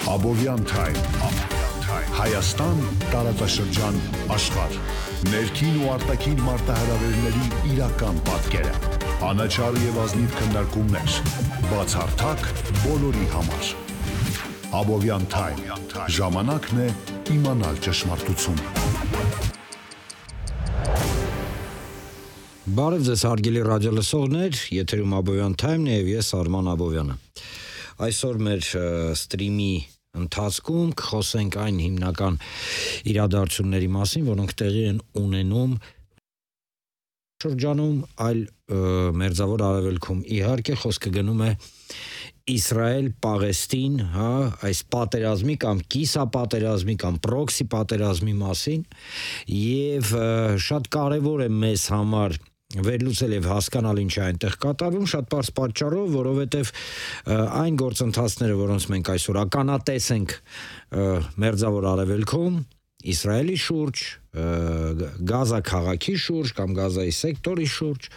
Abovyan Time Հայաստան տարածաշրջան աշխարհ ներքին ու արտաքին մարտահրավերների իրական պատկերը անաչառ եւ ազնիվ քննարկումներ բացառթակ բոլորի համար Abovyan Time ժամանակն է իմանալ ճշմարտությունը Բարև ձեզ հարգելի ռադիոլսողներ, եթերում Abovyan Time-ն է եւ ես Արման Աբովյանը։ Այսօր մեր սթրիմի ընթացքում կխոսենք այն հիմնական իրադարձությունների մասին, որոնք տեղի են ունենում շրջանում, այլ մերձավոր արևելքում։ Իհարկե խոսքը գնում է Իսրայել-Պաղեստին, այս պատերազմի կամ կիսապատերազմի կամ պրոքսի պատերազմի մասին եւ շատ կարեւոր է մեզ համար վերլուծել եւ հասկանալ ինչ է այնտեղ կատարվում շատ բարձ պատճառով, որովհետեւ այն գործընթացները, որոնց մենք այսօր ականատես ենք մերձավոր արևելքում, Իսրայելի շուրջ, Գազա քաղաքի շուրջ կամ Գազայի սեկտորի շուրջ,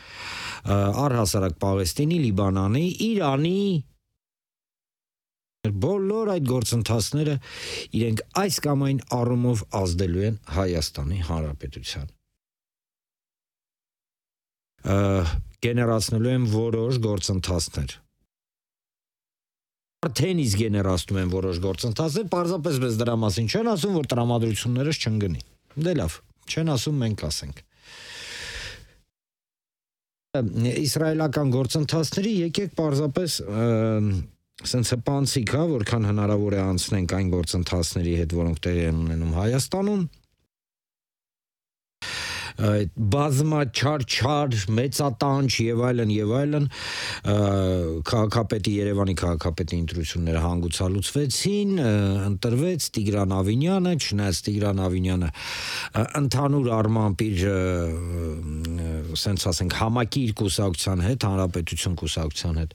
առհասարակ Պաղեստինի, Լիբանանի, Իրանի բոլոր այդ գործընթացները իրենք այս կամ այն առումով ազդելու են Հայաստանի Հանրապետության գեներացնելու են որոշ գործընթացներ արդեն իսկ գեներացնում են որոշ գործընթացներ պարզապես մեզ դրա մասին չեն ասում որ տրամադրություններս չընկնի դե լավ չեն ասում մենք ասենք իսրայելական գործընթացների եկեք պարզապես Սենց հպանցիկ, որքան հնարավոր է անցնենք այն գործընթացների հետ, որոնք տեղի են ունենում Հայաստանում, բազմաչար, մեծատանչ եւ այլն քաղաքապետի Երևանի քաղաքապետի ընտրությունները հանգուցալուծվեցին, ընտրվեց Տիգրան Ավինյանը, չնայած Տիգրան Ավինյանը ընդհանուր առմամբ իր սենց ասենք համակիր կուսակցության հետ, հանրապետություն կուսակցության հետ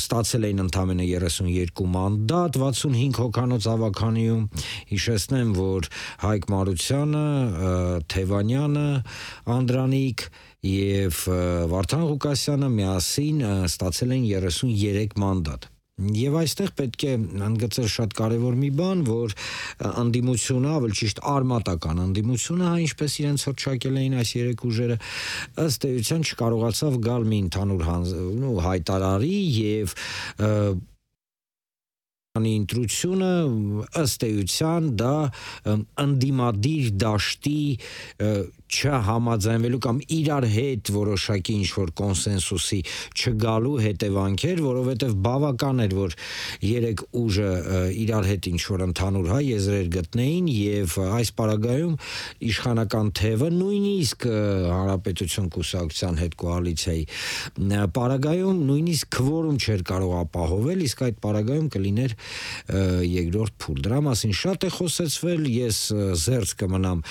ստացել էին ընդամենը 32 մանդատ 65 հոգանոց ավականիում հիշեցնեմ որ Հայկ Մարությանը Թևանյանը, Անդրանիկ եւ Վարդան Ղուկասյանը միասին ստացել են 33 մանդատ։ Եվ այստեղ պետք է ընդգծել շատ կարևոր մի բան, որ անդիմությունը, ավելի ճիշտ արմատական անդիմությունը, ինչպես իրենց հռչակել էին այս երեք ուժերը, ըստ էության չկարողացավ գալ մի ընդհանուր հայտարարի եւ ընտրությունը ըստ էության դա անդիմադիր դաշտի չհամաձայնվելու կամ իրար հետ որոշակի ինչ-որ կոնսենսուսի չգալու հետևանքեր, որովհետև բավական էր, որ երեք ուժը իրար հետ ինչ-որ ընդհանուր եզրեր գտնեին եւ այս պարագայում իշխանական թևը նույնիսկ հանրապետություն կուսակցության հետ կոալիցիայի պարագայում նույնիսկ քվորում չէր կարող ապահովել, իսկ այդ պարագայում կլիներ երկրորդ փուլ։ Դրա մասին շատ է խոսեցվել, ես զերծ կմնամ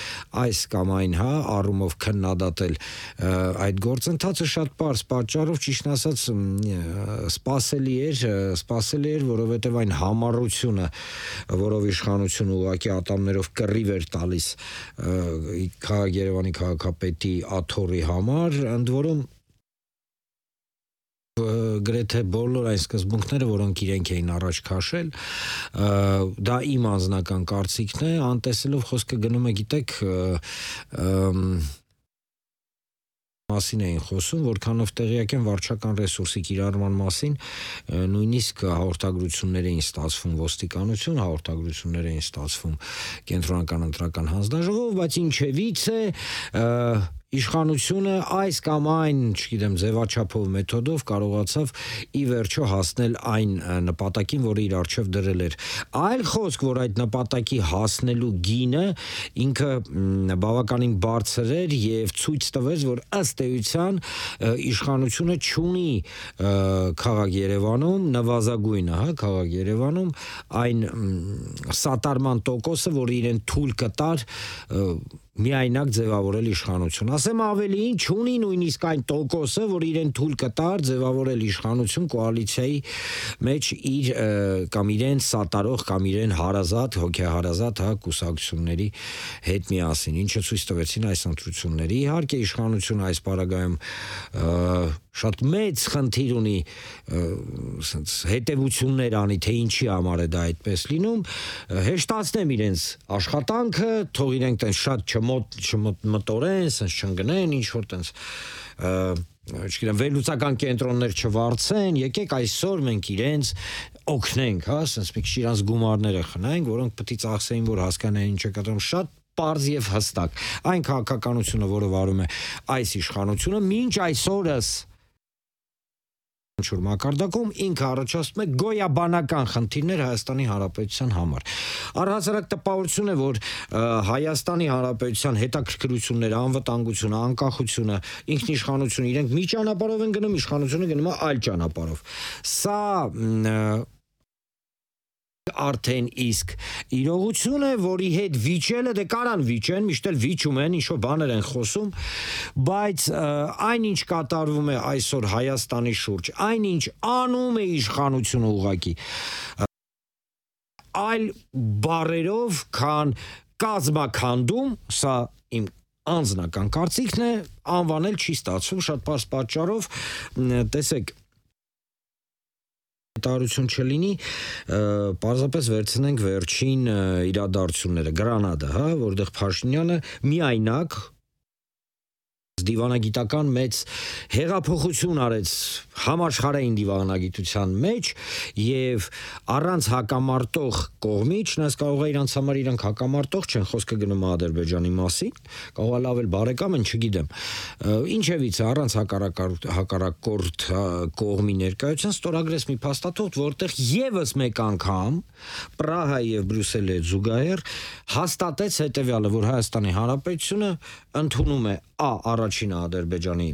այս կամ այն առումով քննադատել այդ գործընթացը շատ պարզ պատճառով ճիշտ ասած սպասելի էր, որովհետև այն համառությունը, որով իշխանությունը ուղղակի ատամներով կռիվ էր տալիս Երևանի քաղաքապետի աթոռի համար, ընդ որում գրեթե բոլոր այն սկզբունքները, որոնք իրենք էին առաջ քաշել, դա իմ անձնական կարծիքն է, անտեսելով խոսքը գնում է, գիտեք, մասին էին խոսում, որքանով տեղյակ են վարչական ռեսուրսի կիրառման մասին, նույնիսկ հաղորդագրություններ էին ստացվում ոստիկանություն, հաղորդագրություններ էին ստացվում կենտրոնական ընտրական հանձնաժողով, բայց ինչևից է իշխանությունը այս կամ այն, չգիտեմ, ձևաչափով մեթոդով կարողացավ ի վերջո հասնել այն նպատակին, որը իր առջև դրել էր։ Այլ խոսք, որ այդ նպատակի հասնելու գինը ինքը բավականին բարձր էր եւ ցույց տվեց, որ ըստ էության իշխանությունը չունի քաղաք Երևանում նվազագույնը, քաղաք Երևանում այն սատարման տոկոսը, որ իրեն թույլ կտար միայնակ ձևավորել իշխանություն։ Ասեմ ավելին, չունի նույնիսկ այն տոկոսը, որ իրեն թույլ կտար ձևավորել իշխանություն կոալիցիայի մեջ իր կամ իրեն սատարող կամ իրեն հարազատ, հոգեհարազատ կուսակցությունների հետ միասին, ինչը ցույց տվեցին այս ընտրությունները։ Իհարկե իշխանությունը այս պարագայում շատ մեծ խնդիր ունի ասենց հետևություններ անի, թե ինչի համար է դա այդպես լինում, հեշտացնեմ իրենց աշխատանքը, թող իրենք տենց շատ չմտորեն, ասենց չընկնեն, ինչ որ տենց չգիտեմ, վերլուծական կենտրոններ չվարձեն, եկեք այսօր մենք իրենց օգնենք, հա, ասենց մի քիչ իրանց գումարները խնայենք, որոնք պետք է ծախսեին, որ հասկանային ինչ է կատարում, շատ պարզ եւ հստակ։ Այն քաղաքականությունը, որը վարում է այս իշխանությունը, մինչ այսօրս մակարդակում ինքը առաջացնում է գոյաբանական խնդիրներ Հայաստանի Հանրապետության համար։ Առհասարակ տպավորություն է, որ Հայաստանի Հանրապետության հետաքրքրությունները, անվտանգությունը, անկախությունը, ինքնիշխանությունը իրենք մի ճանապարհով են գնում, իշխանությունը գնում է այլ ճանապարհով։ Սա արդեն իսկ իրողություն է, որի հետ վիճելը դե կարան վիճեն, միշտ էլ վիճում են, ինչ-որ բաներ են խոսում, բայց այն ինչ կատարվում է այսօր Հայաստանի շուրջ, այն ինչ անում է իշխանությունը ուղղակի, այլ բառերով, քան կազմաքանդում, սա իմ անձնական կարծիքն է, անվանել չի ստացվում շատ պարզ պատճառով, տեսեք տարություն չլինի, պարզապես վերցնենք վերջին իրադարձությունները, Գրանադա, հա, որտեղ Փաշինյանը միայնակ դիվանագիտական մեծ հեղափոխություն արեց համաշխարհային դիվանագիտության մեջ եւ առանց հակամարտող կողմի, չնայած կարող է իրանց համար իրանք հակամարտող չեն, խոսքը գնում է Ադրբեջանի մասին, կարող է լավ էլ բարեկամ են, չգիտեմ, ինչևից առանց հակառակորդ կողմի ներկայության ստորագրեց մի փաստաթուղթ, որտեղ եւս մեկ անգամ Պրահա եւ Բրյուսելը զուգահեռ հաստատեց հետեւյալը, որ Հայաստանի Հանրապետությունը ընդունում է առաջինը Ադրբեջանի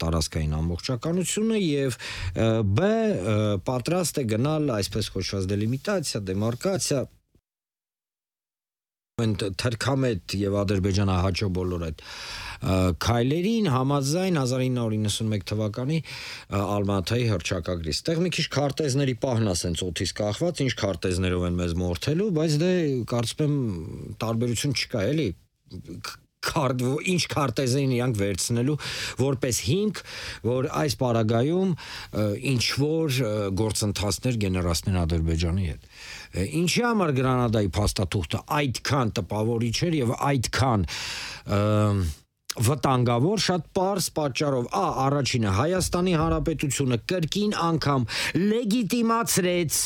տարածքային ամբողջականությունը եւ բ պատրաստ է գնալ այսպես կոչված դելիմիտացիա, դեմարկացիա թրքամետ եւ ադրբեջանահաճո բոլոր այդ քայլերին համաձայն 1991 թվականի Ալմատայի հռչակագրի։ Ստեղ մի քիչ քարտեզների պահն ասենց օթից կախված, ինչ քարտեզներով են մեզ մորթելու, բայց դե կարծում եմ տարբերություն չկա, էլի ինչ քարտեզային իրանք վերցնելու որպես հիմք, որ այս պարագայում ինչ որ գործընթացներ գեներացնեն Ադրբեջանի հետ։ Ինչի համար Գրանադայի փաստաթուղթը այդքան տպավորիչ էր եւ այդքան վտանգավոր, շատ պարզ պատճառով, առաջինը Հայաստանի Հանրապետությունը կրկին անգամ լեգիտիմացրեց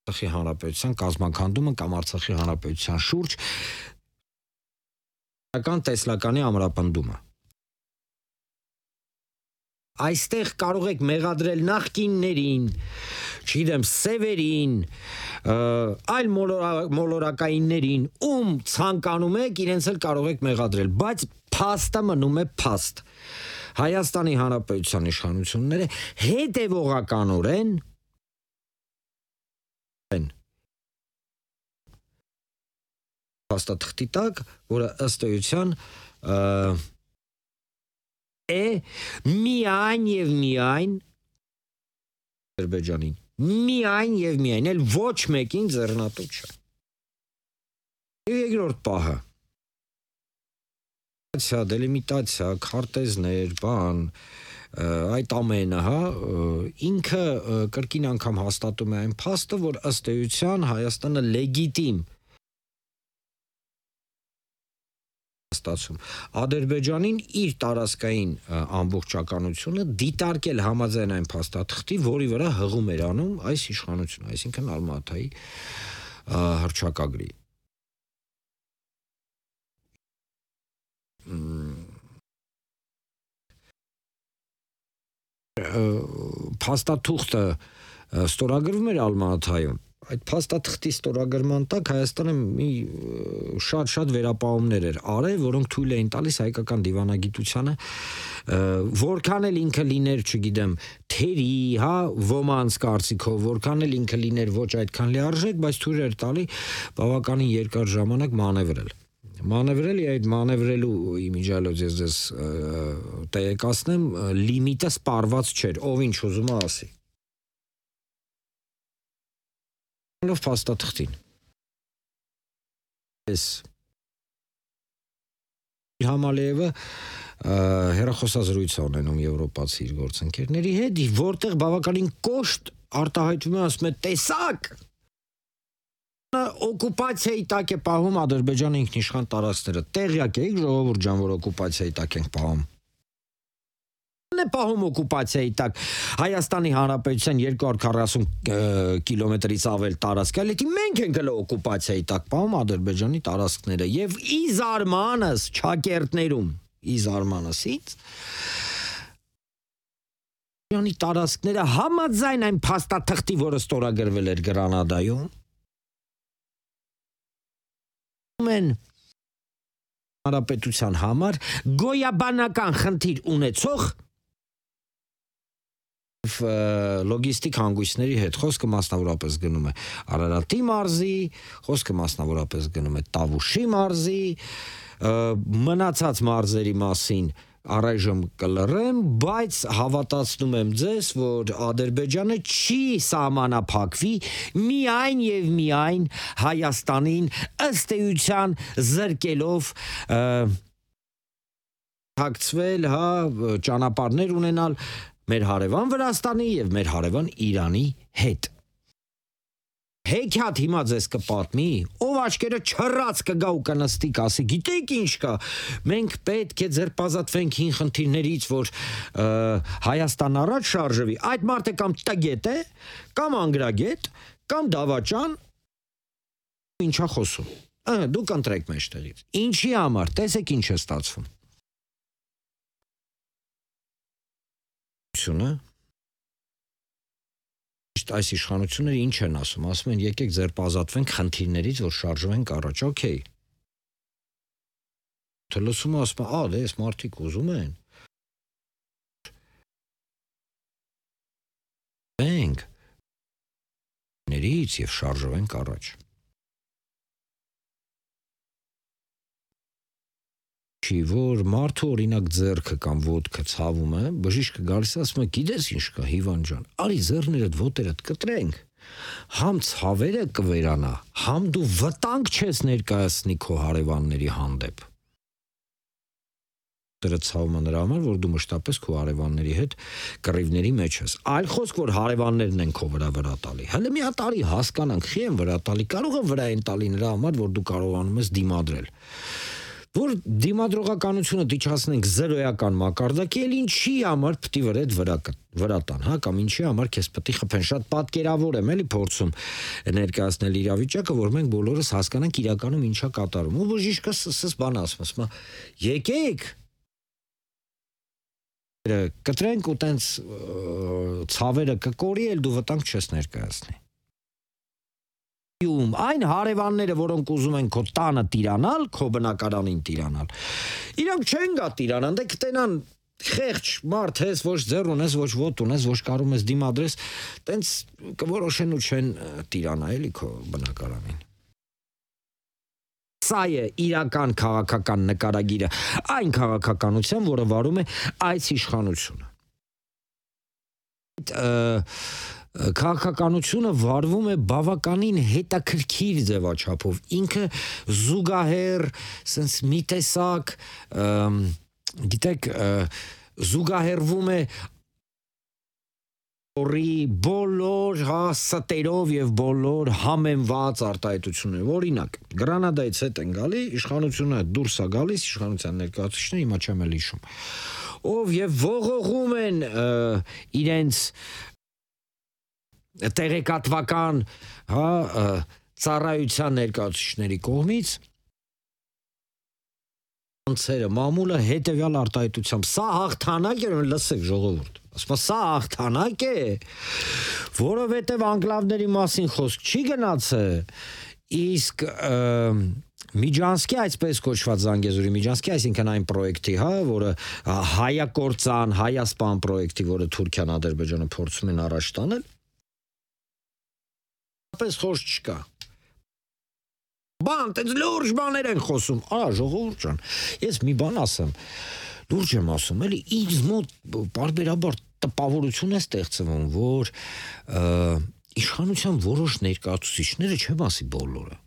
Արցախի Հանրապետության կազմաքանդումը կամ Արցախի Հանրապետության շուրջ տեսլականի ամրապնդումը։ Այստեղ կարող եք մեղադրել նախկիններին, չգիտեմ, սևերին, այլ մոլորակայիններին, ում ցանկանում եք, իրենց էլ կարող եք մեղադրել, բայց փաստը մնում է փաստ։ Հայաստանի Հանրապետության իշխանությունները հետևողականորեն փաստաթղթի տակ, որը ըստ էության միայն եւ միայն Ադրբեջանին, միայն եւ միայն, էլ ոչ մեկին ձեռնատու չէ։ Երկրորդ պահը դելիմիտացիա, քարտեզներ, բան, այդ ամենը, հա, ինքը կրկին անգամ հաստատում է այն փաստը, որ ըստ էության Հայաստանը լեգիտիմ ստացում Ադրբեջանին իր տարածքային ամբողջականությունը դիտարկել համաձայն այն փաստաթղթի, որի վրա հղում էր անում այս իշխանությունը, այսինքն Ալմատայի հռչակագրի։ Փաստաթուղթը ստորագրվում էր Ալմատայում։ Այդ փաստաթղթի ստորագրման տակ Հայաստանը մի շատ վերապահումներ էր արել, որոնք թույլ էին տալիս հայկական դիվանագիտությանը, որքան էլ ինքը լիներ, չգիտեմ, թերի, հա, ոմանց կարծիքով, որքան էլ ինքը լիներ ոչ այդքան լիարժեք, բայց թույլ էր տալի բավականին երկար ժամանակ մանևրել։ Մանևրել եւ այդ մանևրելու իմիջիալոց ես ձեզ տեղեկացնեմ, լիմիտը սպառված չէր, ով ինչ ուզում է ասի։ Փաստաթղթին։ Այս Համալիևը հեռախոսազրույց ունենում եվրոպացի իր գործընկերների հետ, որտեղ բավականին կոշտ արտահայտվում է, ասում է, տեսակ օկուպացիայի տակ է պահում Ադրբեջանը ինքնիշխան տարածքները։ Տեղյակ եք, ժողովուրդ ջան, որ օկուպացիայի տակ ենք պահում։ Է պահում օկուպացիայի տակ Հայաստանի Հանրապետության 240 կիլոմետրից ավել տարածք, այլ մենք ենք հələ օկուպացիայի տակ պահում Ադրբեջանի տարածքները եւ ի զարմանս ճակերտներում, ի զարմանսից Ադրբեջանի տարածքները համաձայն այն փաստաթղթի, որը ստորագրվել էր Գրանադայում, Հանրապետության համար գոյաբանական խնդիր ունեցող լոգիստիկ հանգույցների հետ խոսքը մասնավորապես գնում է Արարատի մարզի, խոսքը մասնավորապես գնում է Տավուշի մարզի, մնացած մարզերի մասին առայժմ կլռեմ, բայց հավատացնում եմ ձեզ, որ Ադրբեջանը չի սահմանափակվի միայն եւ միայն Հայաստանին ըստ էության զրկելով հակցվել, ճանապարհներ ունենալ մեր հարևան Վրաստանի եւ մեր հարևան Իրանի հետ։ Հեքիաթ հիմա ձեզ կպատմի, ով աչքերը չռած կգա ու կնստի, կասի, գիտեք ինչ կա, մենք պետք է ձերբազատվենք հին խնդիրներից, որ Հայաստան առաջ շարժվի, այդ մարդը կամ տգետ է, կամ անգրագետ, կամ դավաճան, ինչա խոսում, դուք ընտրեք մեջտեղից, ինչի համար, տեսեք ինչ է ստացվում։ Այս իշխանությունները ինչ են ասում են եկեք ձերբազատվենք խնդիրներից, որ շարժվենք առաջ, օքեյ։ Լսում ասում դե այս մարդիկ ուզում են։ Ենք ներից եւ շարժվենք առաջ։ Չի որ մարդու օրինակ ձեռքը կամ ոտքը ցավում է, բժիշկը գալիս ասում է, գիտես ինչ կա, Հիվան ջան, արի ձեռներդ ոտերդ կտրենք, համ ցավերը կվերանա, համ դու վտանգ չես ներկայացնի քո հարևանների հանդեպ։ Դրա ցավումը նրա համար, որ դու մշտապես քո հարևանների հետ կռիվների մեջ ես։ Այլ խոսք, որ հարևաններն են քո վրա տալի։ Հələ մի հատ արի հասկանանք, խի են վրա տալի, կարող է վրա են տալի նրա համար, որ դու կարողանում ես դիմադրել։ Որ դիմադրողականությունը դիչացնենք զերոյական մակարդակի, էլ ինչի համար պիտի վրա տան, կամ ինչի համար քեզ պիտի խփեն, շատ պատկերավոր եմ էլի փորձում ներկայացնել իրավիճակը, որ մենք բոլորս հասկանանք իրականում ինչա կատարում։ Ու բժիշկը սս բան ասում, եկեք կտրենք ու տենց ցավերը կկորի, էլ դու վտանգ չես ներկայացնի։ Այն հարևանները, որոնք ուզում են քո տանը տիրանալ, քո բնակարանին տիրանալ, իրանք չեն գա տիրանան, դե կտենան խեղճ մարդ ես, ոչ ձեռ ունես, ոչ ոտ ունես, ոչ կարում ես դիմադրես, տենց կորոշեն ու չեն տիրանա էլի քո բնակարանին։ Սա է իրական քաղաքական նկարագիրը, այն քաղաքականության, որը վարում է այս իշխանությունը։ Քաղաքականությունը վարվում է բավականին հետաքրքիր ձևաչափով, ինքը զուգահեռ, սենց մի տեսակ, գիտեք, զուգահեռվում է բոլոր ստերով եւ բոլոր համեմված արտահայտություններով, օրինակ, Գրանադայից հետ են գալի, իշխանությունը դուրս է գալիս, իշխանության ներկայացուցիչները հիմա չեմ էլ հիշում, ով եւ ողողում են իրենց տեղեկատվական ծառայության ներկայացուցիչների կողմից անցերը մամուլը հետևյալ արտահայտությամբ սա հաղթանակ է, լսեք ժողովուրդ, ասում սա հաղթանակ է, որովհետև անկլավների մասին խոսք չի գնացել, իսկ Միջանսկի այսպես կոչված Զանգեզուրի Միջանսկի, այսինքն այն պրոյեկտի, որը հայակործան, հայասպան պրոյեկտի, որը Թուրքիան, Ադրբեջանը փորձում են առաջ տանել, պես խոսք չկա։ Բան, տենց լուրջ բաներ են խոսում, ժողովուրդ ջան, ես մի բան ասեմ, լուրջ եմ ասում, էլի ինձ մոտ պարբերաբար տպավորություն է ստեղծվում, որ իշխանության որոշ ներկայացուցիչները, չեմ ասի բոլորը,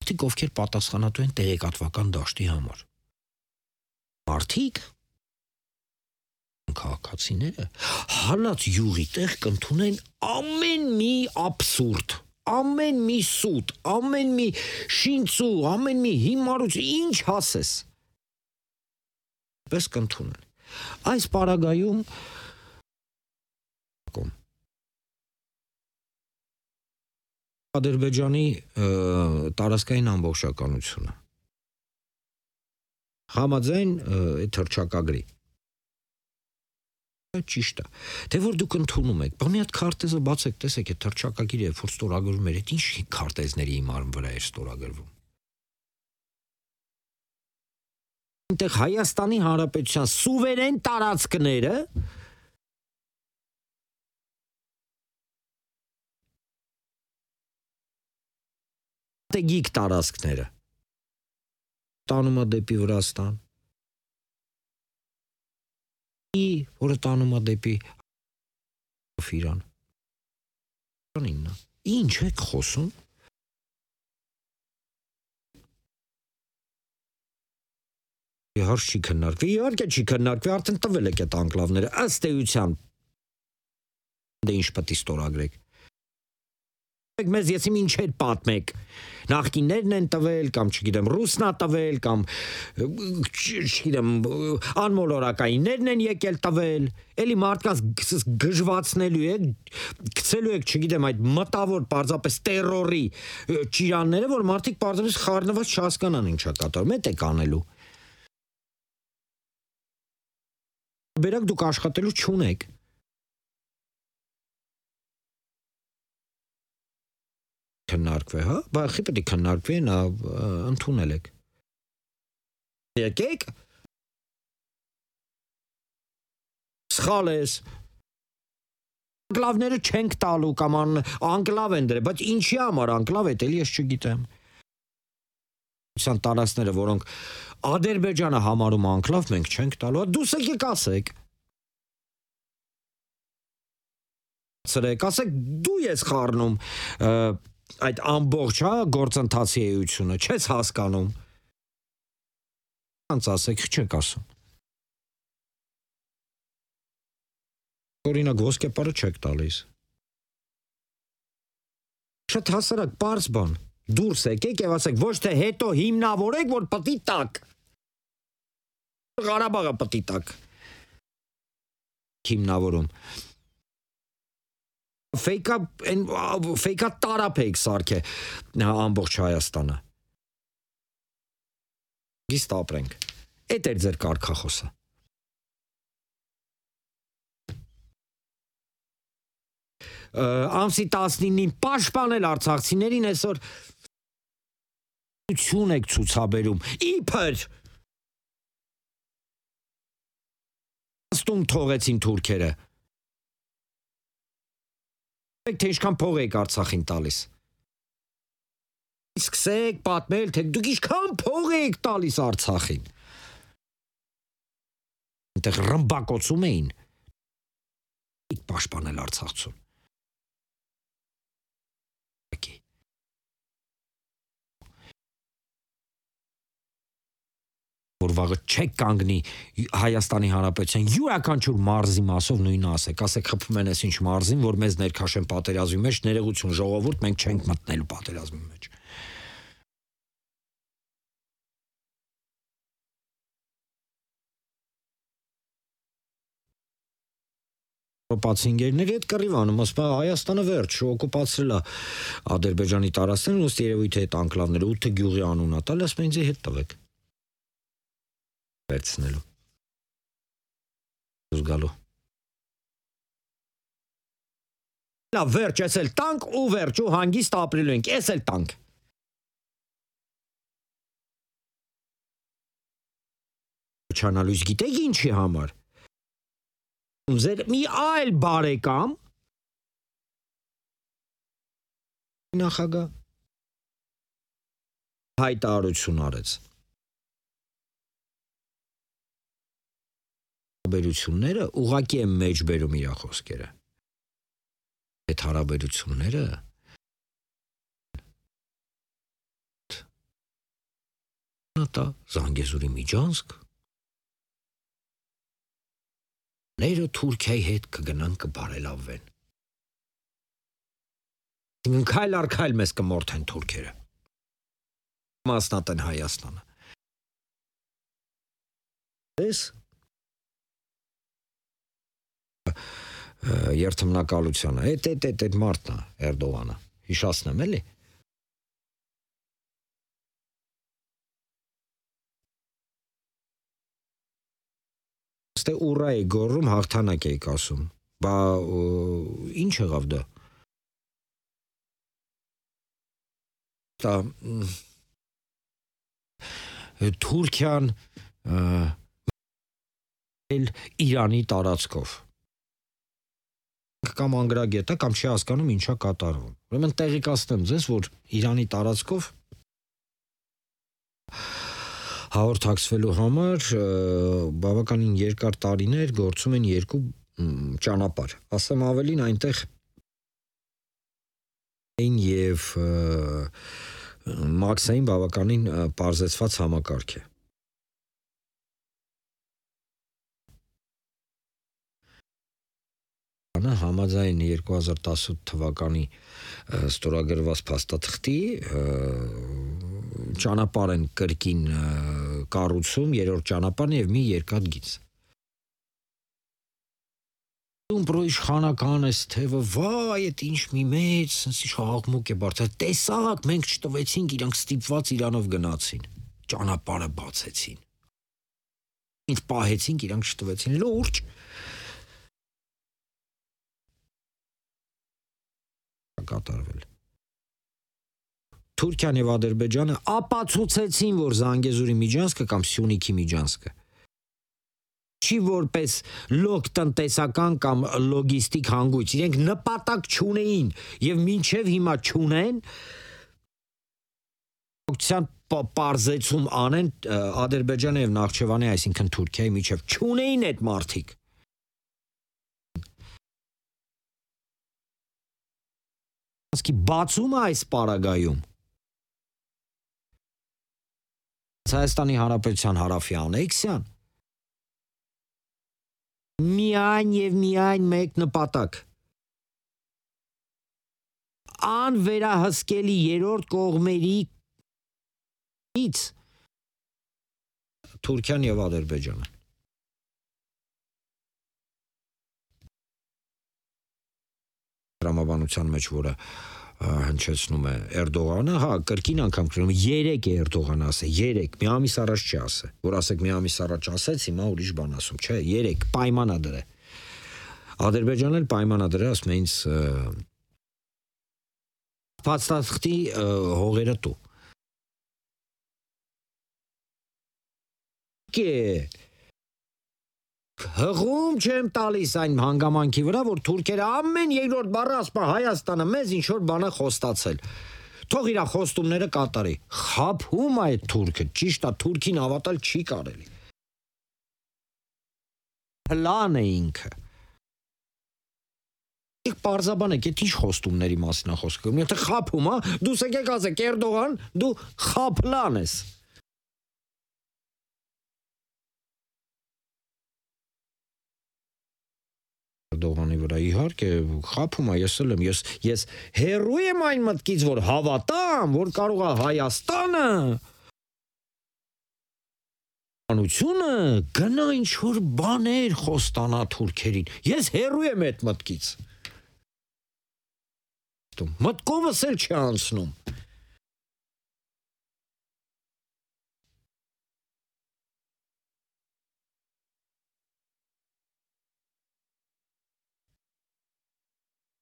մարդիկ ովքեր պատասխանատու են տեղեկատվական դաշտի համար։ Մարդիկ քաղաքացիները հալած յուղի տեղ կընդունեն ամեն մի աբսուրդ, ամեն մի սուտ, ամեն մի շինծու, ամեն մի հիմարություն, ինչ հասես։ Պես կընդունեն։ Այս պարագայում Ադրբեջանի տարածքային ամբողջականությունը համաձայն թռչակագրի ճիշտ է, թե որ դուք ընդունում եք, բա մի հատ քարտեզը բացեք, տեսեք, այդ թռչակագիրը որ ստորագրում էր, ինչ քարտեզների հիման վրա էր ստորագրվում։ Այնտեղ Հայաստանի Հանրապետության սուվերեն տարածքները strategic տարածքները տանում է դեպի Վրաստան, որը տանում է դեպի Իրան։ Ինչ եք խոսում։ Իհարկե չի քննարկվի, իհարկե չի քննարկվի, արդեն տվել եք այդ անկլավները, ըստ էության դե ինչ պետք է ստորագրեք։ Մեզ ես ինչ հետ պատմեք, նախկիններն են տվել, կամ չգիտեմ, ռուսնա տվել, կամ չգիտեմ, անմոլորակայիններն են եկել տվել, էլի մարդկանց գժվացնելու եք, գցելու եք, չգիտեմ, այդ մտավոր պարզապես տերորի ճիրանները, որ մարդիկ պարզապես խառնված չհասկանան ինչ է կատարում, էդ եք անելու։ Բերակ դուք աշխատելու չունեք։ Քննարկվի, հա, բայց պետք է քննարկվի, նա ընդունել եք։ Եկեք։ Սխալ ես։ Անկլավները չենք տալու կամ անկլավ են դրել, բայց ինչի համար անկլավ է, էլի ես չգիտեմ։ Տարածքները, որոնք Ադրբեջանը համարում անկլավ, մենք չենք տալու, դուս եկեք ասեք։ Ասեք, դու ես խառնում այդ ամբողջ գործընթացի էությունը, չես հասկանում։ Ոնց ասեք, չեք ասում։ Օրինակ ոսկեպարը չեք տալիս։ Շատ հասարակ պարզ բան։ Դուրս եկեք եւ ասեք, ոչ թե հետո հիմնավորեք, որ պտի տակ։ Ղարաբաղը պտի տակ։ Հիմնավորում։ Ֆեյկա տարապ եք սարքե ամբողջ Հայաստանը։ Գիստ ապրենք։ Էդ էր ձեր կարգախոսը։ Ամսի 19-ին պաշտպանել արցախցիներին այսօր եք ցուցաբերում։ Իբր ստում թողեցին թուրքերը։ Թե ինչքան փող եք Արցախին տալիս։ Սկսեք պատմել, թե դուք ինչքան փող եք տալիս Արցախին։ Այնտեղ ռմբակոծում էին։ Պաշտպանել Արցախցուն։ Որ վաղը չեք կանգնի Հայաստանի Հանրապետության յուրաքանչյուր մարզի մասով նույնը ասեք խփում են այս ինչ մարզին, որ մեզ ներքաշեն պատերազմի մեջ, ներողություն ժողովուրդ, մենք չենք մտնելու պատերազմի մեջ։ Օկուպացիաների հետ կռիվանում, ասում է Հայաստանը վերջ, օկուպացրել է Ադրբեջանի տարածքներն, ըստ երևույթի այդ անկլավները 8 գյուղի անուն ա տալ, ասում են ինձ հետ տվեք։ Վերցնելու։ Զգալու։ Լավ, վերջ, ես էլ տանք ու վերջ ու հանգիստ ապրելու ենք, ես էլ տանք։ Չանալույս գիտեք ինչի համար։ Ձեր մի այլ բարեկամ նախագահ հայտարարություն արեց։ Հարաբերությունները ուղղակի են մեջ բերում իր խոսքերը։ Այդ հարաբերությունները Նատա Զանգեզուրի միջանցք ները Թուրքիայի հետ կգնան կբարելավվեն։ Քայլ առ քայլ մեզ կմորթեն թուրքերը։ Մասնատեն Հայաստանը։ Ես երթմնակալությունը, այդ մարդն է Էրդողանը, հիշացնեմ էլի։ Ստե ուռա է գոռում, հաղթանակ էիք ասում, բա ինչ եղավ դա։ Դա Թուրքիան Իրանի տարածքով կամ անգրագետը կամ չի հասկանում ինչա կատարվում։ Ուրեմն տեղեկացնեմ ձեզ, որ Իրանի տարածքով հաղորդակցվելու համար բավականին երկար տարիներ գործում են երկու ճանապարհ։ Ասեմ ավելին այնտեղ եւ Մաքսային բավականին պարզեցված համակարգ է։ Համաձայն 2018 թվականի ստորագրված փաստաթղթի ճանապարհ են կրկին կառուցում, երրորդ ճանապարհն եւ մի երկաթգիծ։ Իշխանական էս թևը, վայ, այդ ինչ մի մեծ, sense աղմուկ է բարձր։ Տեսակ, մենք չտվեցինք, իրանք ստիպված Իրանով գնացին։ Ճանապարհը բացեցին։ Ինչ պահեցինք, իրանք չտվեցին, լուրջ։ Կատարվել։ Թուրքիան եւ Ադրբեջանը ապացուցեցին, որ Զանգեզուրի միջանցքը կամ Սյունիքի միջանցքը չի որպես լոկ տնտեսական կամ լոգիստիկ հանգույց, իրենք նպատակ չունեին եւ մինչեւ հիմա չունեն պարզեցում անեն Ադրբեջանը եւ Նախճեվանի, այսինքն Թուրքիայի միջեւ չունեին այդ մարտիկ։ Բացումը այս պարագայում Հայաստանի Հանրապետության հարավի անեքսիան միայն եւ միայն մեկ նպատակ անվերահսկելի երրորդ կողմերից Թուրքիան եւ Ադրբեջանը տրամաբանության մեջ, որը հնչեցնում է Էրդողանը, հա, կրկին անգամ գրում 3 է Էրդողանը ասել, 3, մի ամիս առաջ չի ասել, որ ասեք մի ամիս առաջ ասեց, հիմա ուրիշ բան ասում, չէ, 3 պայմանադր է։ Ադրբեջանն էլ պայմանադր է, ասում է ինձ փաստաթղթի հողերը տու։ Հղում չեմ տալիս այն հանգամանքի վրա, որ թուրքերը ամեն երկրորդ բառը ասում են Հայաստանը մեզ ինչ որ բան է խոստացել։ Թող իր խոստումները կատարի։ Խաբում է այդ թուրքը, ճիշտ է, թուրքին հավատալ չի կարելի։ Պլան է ինքը։ Եք պարզաբան եք, այդ ինչ խոստումների մասին է խոսքը։ Եթե խաբում է, դու եկեք ասեք Էրդողան, դու խաբլան ես։ Էրդողանի վրա իհարկե խաբում է, ես էլ եմ, ես հերոյ եմ այն մտքից, որ հավատամ, որ կարող է Հայաստանը անությունը գնա ինչ որ բաներ խոստանա թուրքերին։ Ես հերոյ եմ այդ մտքից։ Մտքովս էլ չի անցնում։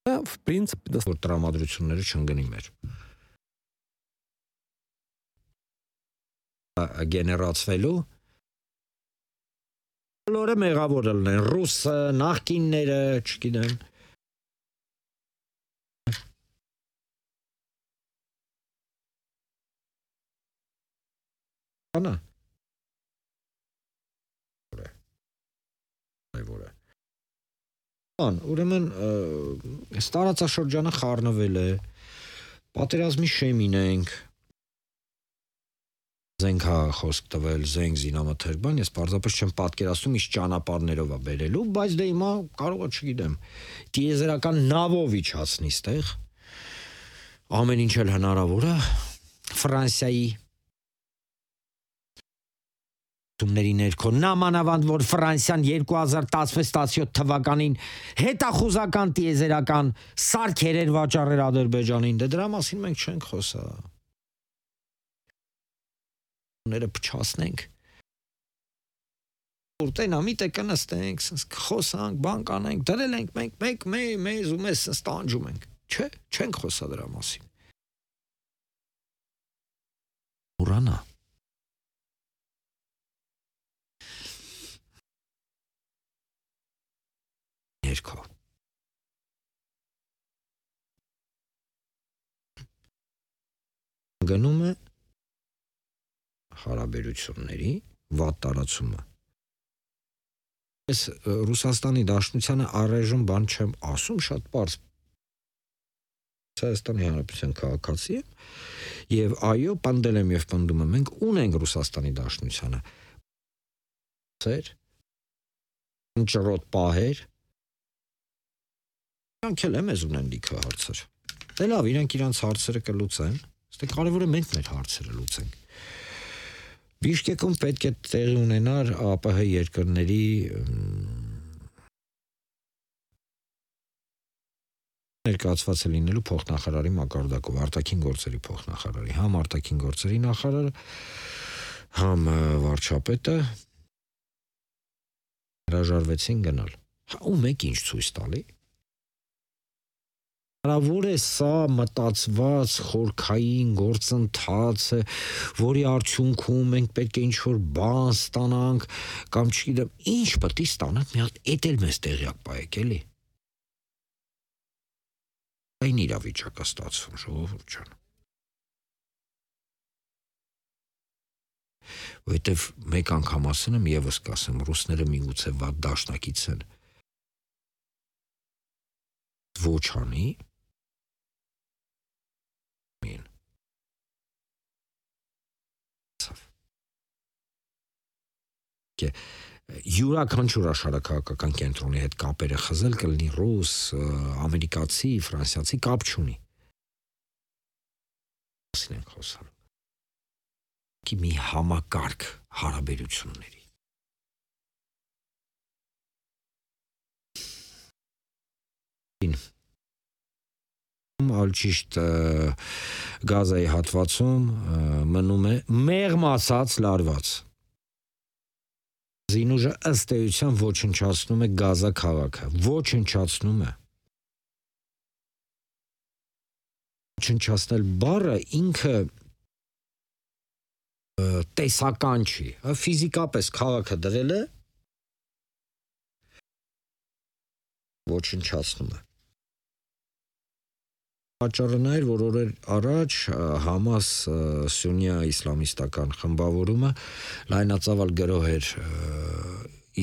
В принципе, որ տրամադրությունները չընկնի մեր։ Գեներացվելու բոլորը մեղավոր լինեն, ռուսը, նախկինները, չգիտեմ։ Անա։ Ուրեմն այս տարածաշրջանը խառնվել է, պատերազմի շեմին ենք, Զենք հա խոսք տվել, զենք զինամթերք բան, ես պարզապես չեմ պատկերացնում ինչ ճանապարհներով է բերելու, բայց դե հիմա կարող է, չգիտեմ, տիեզերական նավով իջացնի ստեղ։ Ամեն ինչ էլ հնարավոր է։ Ֆրանսիայի ների ներքո նամանավանդ որ Ֆրանսիան 2016-17 թվականին հետախուզական տիեզերական սարքեր էր վաճառել Ադրբեջանին, դե դրա մասին մենք չենք խոսա։ Ները փչացնենք։ Որտեն ամիտ է կնստենք, խոսանք, բան կանենք, դրել ենք մենք մեզ ու մեզ ստանջում ենք։ Չէ, չենք խոսա դրա մասին։ Ուրանա ներքո գնում է հարաբերությունների վատ տարածումը։ Ես Ռուսաստանի Դաշնությանը առայժմ բան չեմ ասում, շատ պարզ Հայաստանի Հանրապետության քաղաքացի եմ եւ այո, պնդել եմ եւ պնդում եմ, մենք ունենք Ռուսաստանի Դաշնությանը ընճռոտ պահեր Իրանք էլ մեզ ունեն լիքը հարցեր։ Դե լավ, իրանք իրանց հարցերը կլուծեն, ստե կարևորը մենք մեր հարցերը լուծենք։ Բիշկեկում պետք է տեղի ունենար ԱՊՀ երկրների ներկայացված է լինելու փոխնախարարի մակարդակով, արտաքին գործերի փոխնախարարի, համ արտաքին գործերի նախարարը, համ վարչապետը հրաժարվեցին գնալ։ Ու մեկ ինչ ցույց տալի։ Հնարավոր է սա մտածված խորքային գործընթաց է, որի արդյունքում մենք պետք է ինչ-որ բան ստանանք, կամ չգիտեմ, ինչ պետք է ստանանք, մի հատ էդ էլ մեզ տեղյակ պահեք, էլի։ Այն իրավիճակ է ստացվում, ժողովուրդ ջան։ Որովհետև մեկ անգամ ասեմ եմ եւս կասեմ, ռուսները միգուցե վատ դաշնակից են։ Ոչ անի յուրաքանչյուր աշխարհակաղակական կենտրոնի հետ կապերը խզել կլինի ռուս, ամերիկացի, ֆրանսիացի կապ չունի։ Ասին ենք խոսալ։ Մի համակարգ հարաբերությունների։ Ալճիշտ գազայի հատվածում մնում է մեղմացած լարված։ Զինուժը ըստ էության ոչնչացնում է Գազա քաղաքը, ոչնչացնում է։ Ոչնչացնել բառը ինքը տեսական չի, ֆիզիկապես քաղաքը դրել է, ոչնչացնում է։ Պատճառը նա էր, որ օրեր առաջ Համաս սուննիա իսլամիստական խմբավորումը լայնածավալ գրոհ էր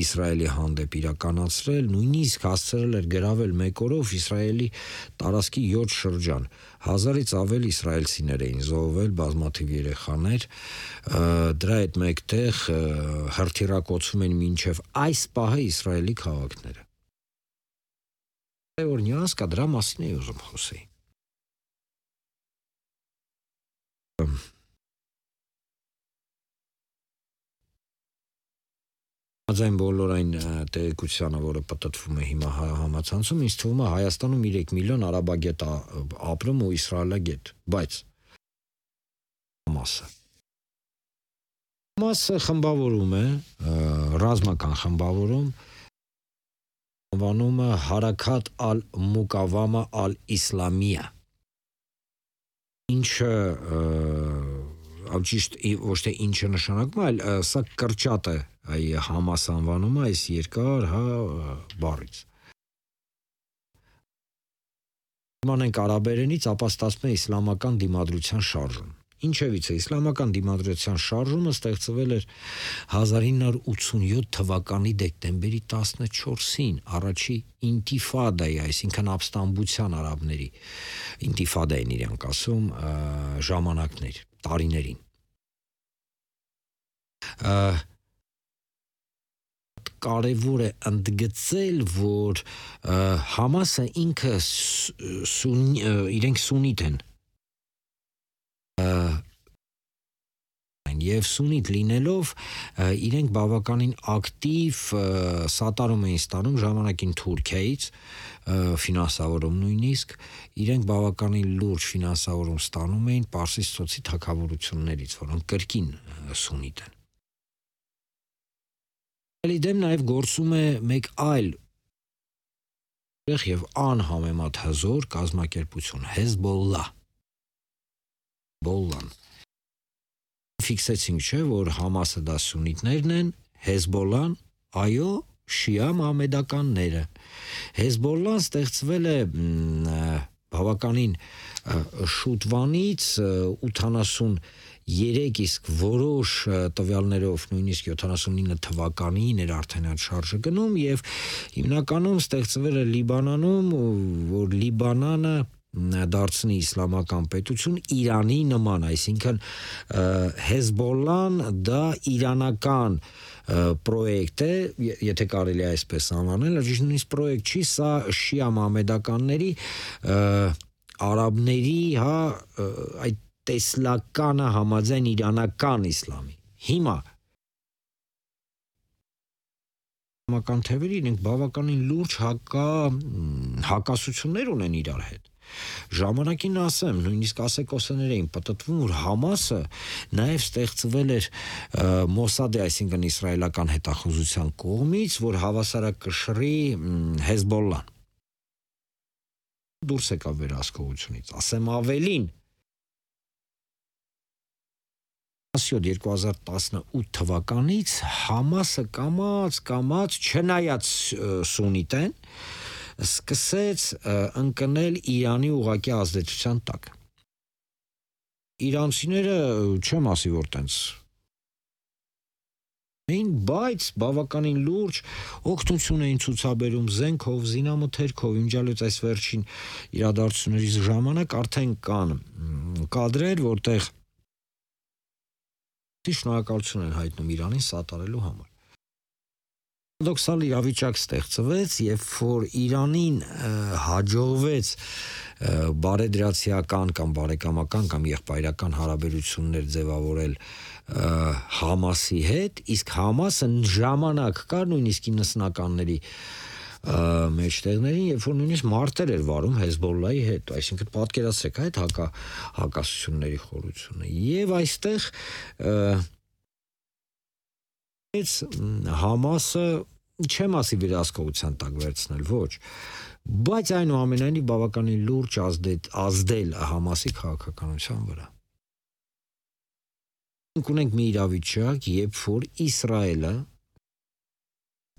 Իսրայելի հանդեպ իրականացրել, նույնիսկ հասցրել էր գրավել մեկ օրով Իսրայելի տարածքի 7 շրջան։ 1000-ից ավել իսրայելցիներ էին զոհվել, բազմաթիվ երեխաներ, դրա հետ մեկտեղ հրթիռակոծում են մինչև այս պահը Իսրայելի քաղաքները։ Որ նյուանս կա, դրա մասին էի ուզում խոսեի։ Այն բոլոր այն տեղեկությանը, որը պատտվում է հիմա համացանցում, ինձ թվում է Հայաստանում 3 միլիոն արաբագետ ապրում ու իսրայելագետ, բայց Համասը խմբավորում է, ռազմական խմբավորում, անվանումը Հարաքաթ ալ-Մուկավամա ալ-Իսլամիա, ինչը ճիշտ ոչ թե ինչը նշանակում, այլ սա կրճատ է այ Համաս անվանումը այս երկար բառից։ Մանենք արաբերենից, ապա ստացվում է իսլամական դիմադրության շարժում։ Ինչևից է, իսլամական դիմադրության շարժումը ստեղծվել էր 1987 թվականի դեկտեմբերի 14-ին, առաջի ինտիֆադայի, այսինքն ապստամբության արաբների, ինտիֆադա են իրանք ասում, ժամանակներ, տարիներին։ կարևոր է ընդգծել, որ Համասը ինքը իրենք սուննիտ են եւ սուննիտ լինելով իրենք բավականին ակտիվ սատարում էին ստանում ժամանակին Թուրքիայից ֆինանսավորում նույնիսկ իրենք բավականին լուրջ ֆինանսավորում ստանում էին Պարսից ծոցի թագավորություններից, որոնք կրկին սուննիտ են։ Դեմ նաև գործում է մեկ այլ եւ անհամեմատ հզոր կազմակերպություն Հեզբոլլան ֆիքսեցինք չէ, որ Համասը դա սուննիտներն են, Հեզբոլլան, այո, շիա մահմեդականները։ Հեզբոլլան ստեղծվել է բավականին շուտվանից 83, իսկ որոշ տվյալներով նույնիսկ 79 թվականին էր արդեն այդ շարժը գնում եւ հիմնականում ստեղծվել է Լիբանանում, որ Լիբանանը դարձնի իսլամական պետություն Իրանի նման, այսինքն Հեզբոլլան դա իրանական պրոյեկտ է, եթե կարելի է այսպես անվանել, նույնիսկ պրոյեկտ չի, սա շիա մահմեդականների արաբների, այդ տեսլականը համաձայն իրանական իսլամի։ Հիմա իսլամական թևերը իրենք բավականին լուրջ հակասություններ ունեն իրար հետ։ Ժամանակին ասեմ, նույնիսկ ասեկոսներ էին պատտվում, որ Համասը նաև ստեղծվել էր Մոսադի, այսինքն իսրայելական հետախուզության կողմից, որ հավասարակշռի Հեզբոլլան։ Դուրս եկավ վերահսկողությունից, ասեմ ավելին, 2018 թվականից Համասը կամաց չնայած սուննիտ են, սկսեց ընկնել Իրանի ուղղակի ազդեցության տակ։ Իրանցիները չեմ ասի, որ տենց բայց բավականին լուրջ օգնություն էին ցուցաբերում զենքով, զինամթերքով, իմջալոց այս վերջին իրադարձություններից ժամանակ արդեն կան կադրեր, որտեղ շնորհակալություն են հայտնում Իրանին սատարելու համար։ Պարադոքսալ իրավիճակ ստեղծվեց, երբ որ Իրանին հաջողվեց բարեդրացիական կամ բարեկամական կամ եղբայրական հարաբերություններ ձևավորել Համասի հետ, իսկ Համասը ժամանակ կար նույնիսկ 90-ականների մեջտեղներին, երբ որ նույնիսկ մարտեր էր վարում Հեզբոլլայի հետ, այսինքն պատկերացրեք այդ հակասությունների խորությունը։ Եվ այստեղ Համասը չեմ ասի վերահսկողության տակ վերցնել, ոչ, բայց այնուամենայնիվ բավականին լուրջ ազդել Համասի քաղաքականության վրա։ Մենք ունենք մի իրավիճակ, երբ որ Իսրայելը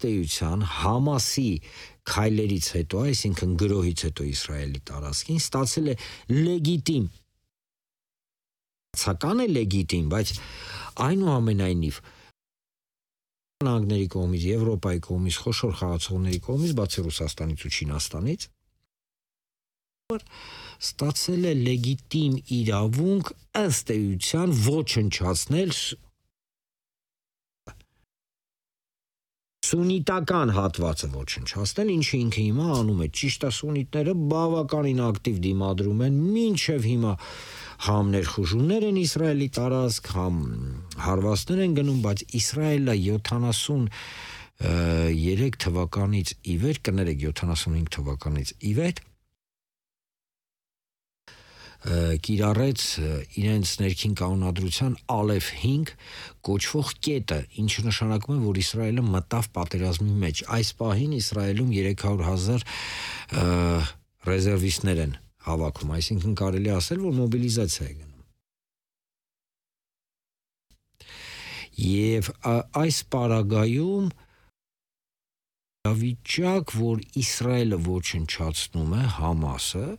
տեյության Համասի քայլերից հետո, այսինքն գրոհից հետո Իսրայելի տարածքին ստացել է լեգիտիմ, ցական է լեգիտիմ, բայց այնուամենայնիվ Նահանգների կողմից, Եվրոպայի կողմից, խոշոր խաղացողների կողմից, բացի Ռուսաստանից ու Չինաստանից, ստացել է լեգիտիմ իրավունք ըստ էության ոչնչացնել սուննիտական հատվածը ոչնչացնել, ինչը ինքը հիմա անում է։ Ճիշտ է, սուննիտները բավականին ակտիվ դիմադրում են, մինչև հիմա համ ներխուժումներ են Իսրայելի տարածք, համ հարվածներ են գնում, բայց Իսրայելը 73 թվականից ի վեր, կներեք 75 թվականից ի վեր կիրառեց իրենց ներքին կանոնադրության Ալեֆ 5 կոչվող կետը, ինչը նշանակում է, որ Իսրայելը մտավ պատերազմի մեջ։ Այս պահին Իսրայելում 300,000 ռեզերվիստներ են հավաքում, այսինքն կարելի ասել, որ մոբիլիզացիա է գնում։ Եվ այս պարագայում վիճակ, որ Իսրայելը ոչնչացնում է Համասը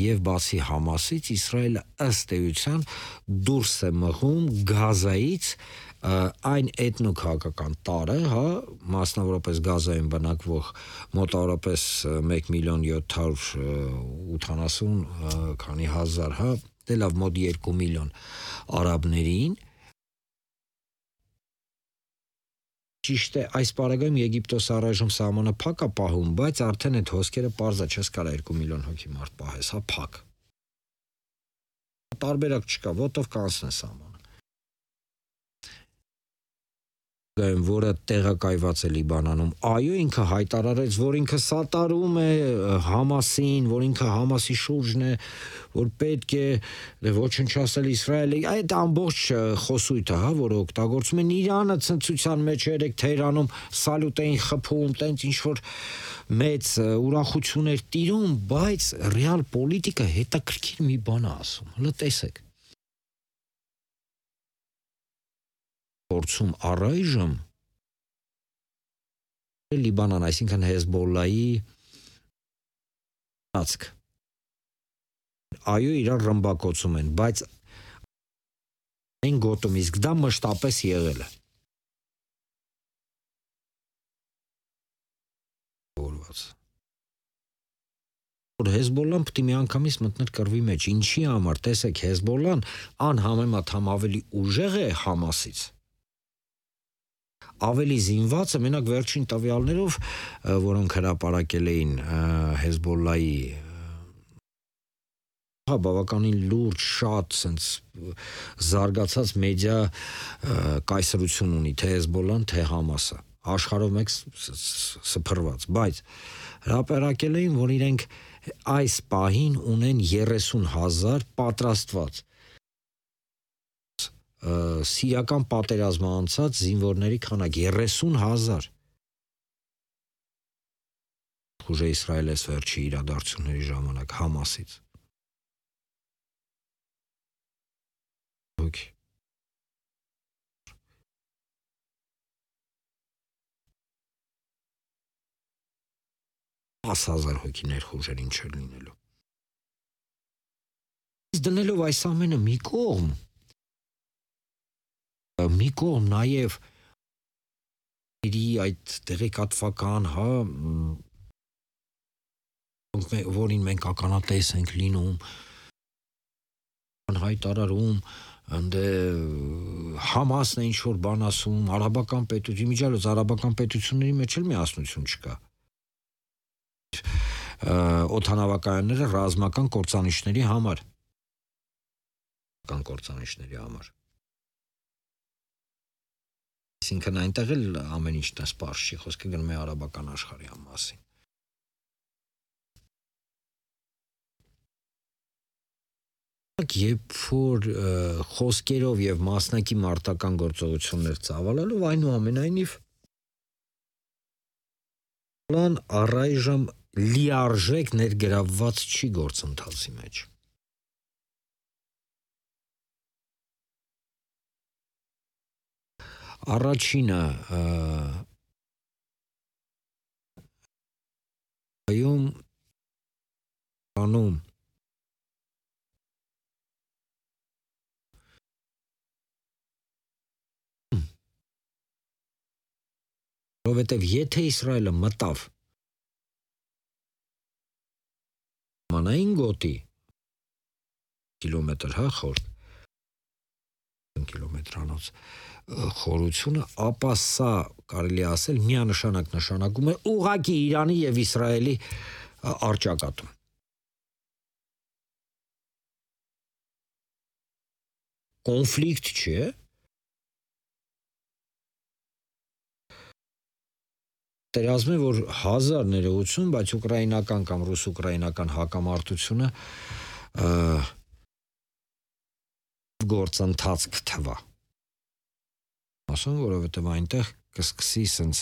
եւ բացի Համասից Իսրայելը ըստ էության դուրս է մղում Գազայից այն էթնոքաղաքական տարը, մասնավորապես Գազայում բնակվող մոտավորապես 1,780,000, դե լավ մոտ 2 միլիոն արաբներին Ճիշտ է, այս պարագայում Եգիպտոսը առայժմ սահմանը փակ է պահում, բայց արդեն այդ հոսքերը պարզ է, չես կարա 2 միլիոն հոգի մարդ պահես, հա փակ։ Տարբերակ չկա, ոտով կանցնես սահմանը։ Որը տեղակայված է Լիբանանում, այո, ինքը հայտարարեց, որ ինքը սատարում է Համասին, որ ինքը Համասի շուրջն է, որ պետք է ոչնչացնել Իսրայելի, այդ ամբողջ խոսույթը, հա, որը օգտագործում են Իրանը ցնցության մեջ երեք Թեհրանում սալյուտ էին խփում, տենց ինչ որ մեծ ուրախություն էր տիրում, բայց ռեալ պոլիտիկա հետաքրքիր մի բան է ասում, հələ տեսեք։ Փորձում առայժմ Լիբանան, այսինքն Հեզբոլլայի ծածկ։ Այո, իրար ռմբակոծում են, բայց այն գոտում, իսկ դա մշտապես եղել է։ Որ Հեզբոլլան պետք է միանգամից մտներ կռվի մեջ, ինչի համար, տեսեք, Հեզբոլլան անհամեմատ ավելի ուժեղ է Համասից։ Ավելի զինված է, մենակ վերջին տվյալներով, որոնք հրապարակել էին Հեզբոլլայի բավականին լուրջ, շատ սենց զարգացած մեդիա կայսրություն ունի, թե Հեզբոլլան, թե Համասը, աշխարհով մեկ սփռված, բայց հրապարակել էին, որ իրենք այս պահին ունեն 30,000 պատրաստված սիրիական պատերազմը անցած զինվորների քանակ 30,000 ուժը Իսրայելից վերջի իրադարձությունների ժամանակ Համասից հոգի 10,000 հոգի ներխուժեր ինչ էր լինելու դնելով այս ամենը մի կողմ նաև այդ տեղեկատվական, հա, որին մենք ականատես ենք լինում, հայտարարում, Համասն է ինչ-որ բան ասում, արաբական պետություն, միջալոց արաբական պետությունների մեջ էլ միասնություն չկա։ Օդանավակայանները ռազմական կործանիչների համար։ Այսինքն այնտեղ էլ ամեն ինչ տես պարզ չի, խոսքը գնում է արաբական աշխարհի մասին։ Երբ որ խոսքերով եւ մասնակի մարտական գործողություններ ծավալելով, այնուամենայնիվ առայժմ լիարժեք ներգրավված չի գործընթացի մեջ։ Առաջինը անում որովհետև եթե Իսրայելը մտավ մանային գոտի կիլոմետր, հա, խոր կիլոմետրանոց խորությունը, ապա սա կարելի ասել միանշանակ նշանակում է ուղղակի Իրանի եւ Իսրայելի առճակատում։ Կոնֆլիկտ չէ, Պատերազմ է, որ 1000 ներողություն, բայց ուկրաինական կամ ռուս-ուկրաինական հակամարտությունը գործընթաց կթվա։ Ասում, որովհետև այնտեղ կսկսի սենց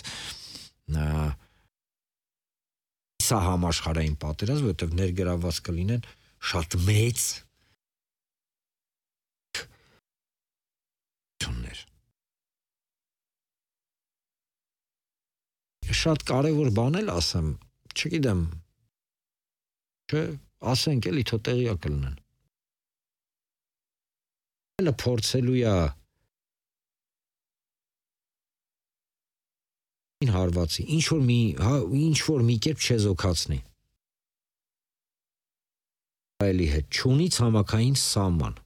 սա համաշխարհային պատերազմ, որովհետև ներգրավված կլինեն շատ մեծ Շատ կարևոր բան էլ ասեմ, չգիտեմ, չէ, ասենք էլի թո տեղյակ կլինեն։ Էլ փորձելու է հարվածի, ինչ որ մի կերպ չեզոքացնի։ Այլի հետ չունի ցամաքային սահման։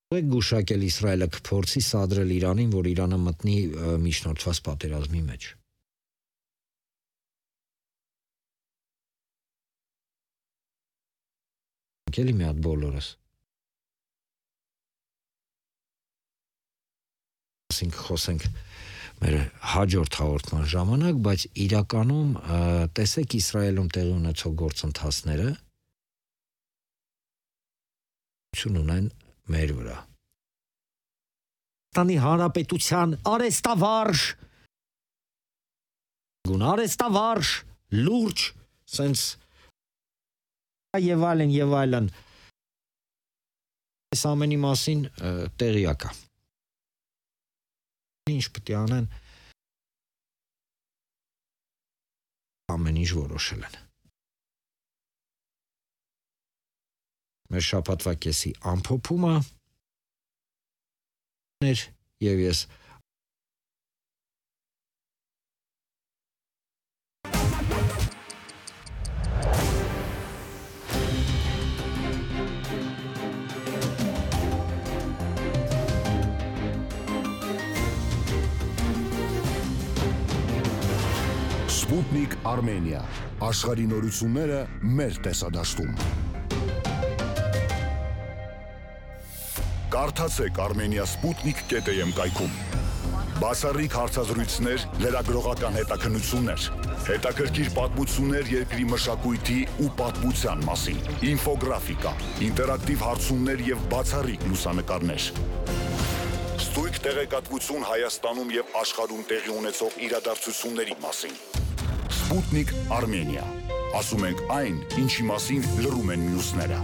Գուշակել Իսրայելը կփորձի սադրել Իրանին, որ Իրանը մտնի միջնորդված պատերազմի մեջ։ Եկելի մի հատ բոլորս։ Խոսենք մեր հաջորդ հաղորդման ժամանակ, բայց իրականում տեսեք Իսրայելում տեղի ունեցող գործընթացները ունեն մեր վրա։ Տանի Հանրապետության արեստավարժ, լուրջ, սենց եւ այլն։ Այս ամենի մասին տեղյակ է։ Ինչ պետք է անեն, ամեն ինչ որոշել են։ Մեր շաբաթվա կեսի ամփոփումը եւ ես Sputnik Armenia, աշխարհի նորությունները մեր տեսադաշտում։ Կարդացեք Armenia Sputnik.am կայքում։ Բացառիկ հարցազրույցներ, լրագրողական հետաքննություններ, հետաքրքիր պատմություններ երկրի մշակույթի ու պատմության մասին, ինֆոգրաֆիկա, ինտերակտիվ հարցումներ եւ բացառիկ լուսանկարներ։ Ստույգ տեղեկատվություն Հայաստանում եւ աշխարհում տեղի ունեցող իրադարձությունների մասին։ Sputnik Armenia։ Ասում ենք այն, ինչի մասին լռում են մյուսները։